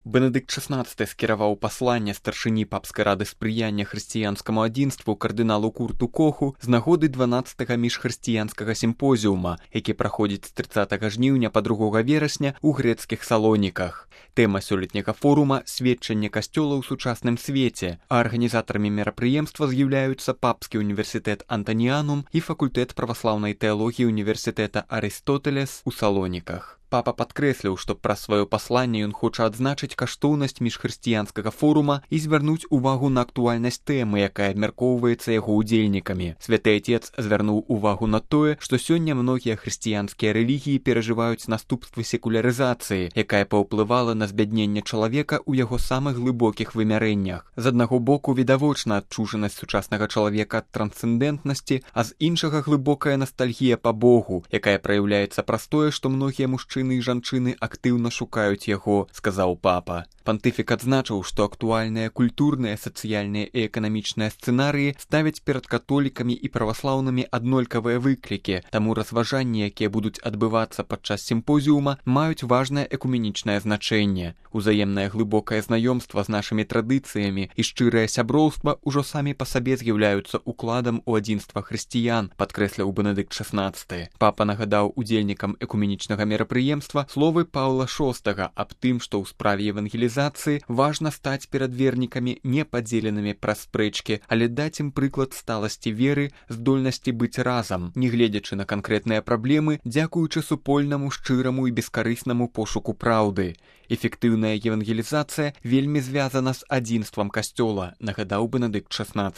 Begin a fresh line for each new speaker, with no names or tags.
Бенедыкт XVI скіраваў пасланне старшыні папскай рады спрыяння хрысціянскаму адзінству кардыналу Курту Коху з нагоды 12-га міжхрысціянскага сімпозіума, які праходзіць з 30 жніўня па 2 верасня ў грэцкіх Салоніках. Тэма сёлетняга форума – сведчанне касцёла ў сучасным свеце, а арганізатарамі мерапрыемства з'яўляюцца Папскі універсітэт Антаніанум і факультэт праваслаўнай тэалогіі універсітэта Арыстотэлес у Салоніках. Папа падкрэсліў, што праз сваё пасланне ён хоча адзначыць каштоўнасць міжхрысціянскага форума і звярнуць увагу на актуальнасць тэмы, якая абмяркоўваецца яго ўдзельнікамі. Святы Отец звярнуў увагу на тое, што сёння многія хрысціянскія рэлігіі перажываюць наступствы секулярызацыі, якая паўплывала на збядненне чалавека ў яго самых глыбокіх вымярэннях. З аднаго боку відавочна адчужанасць сучаснага чалавека ад трансцэндэнтнасці, а з іншага глыбокая настальгія па Богу, якая праяўляецца праз тое, што многія мужчыны і жанчыны актыўна шукаюць яго, сказаў папа. Пантыфік адзначыў, што актуальныя культурныя, сацыяльныя і эканамічныя сцэнарыі ставяць перад католікамі і праваслаўнымі аднолькавыя выклікі, таму разважанні, якія будуць адбывацца падчас сімпозіума, маюць важнае экуменічнае значэнне. Узаемнае глыбокае знаёмства з нашымі традыцыямі і шчырае сяброўства ўжо самі па сабе з'яўляюцца укладам у адзінства хрысціян, падкрэсліў Бенедыкт XVI. Папа нагадаў удзельнікам экуменічнага мерапрыемства словы Паўла VI аб тым, што ў справе евангелізацыі важна стаць перад вернікамі не падзеленымі праз спрэчкі, але даць ім прыклад сталасці веры, здольнасці быць разам, не гледзячы на канкрэтныя праблемы, дзякуючы супольнаму, шчыраму і бескарыснаму пошуку праўды. Эфектыўная евангелізацыя вельмі звязана з адзінствам касцёла, нагадаў Бенедыкт XVI.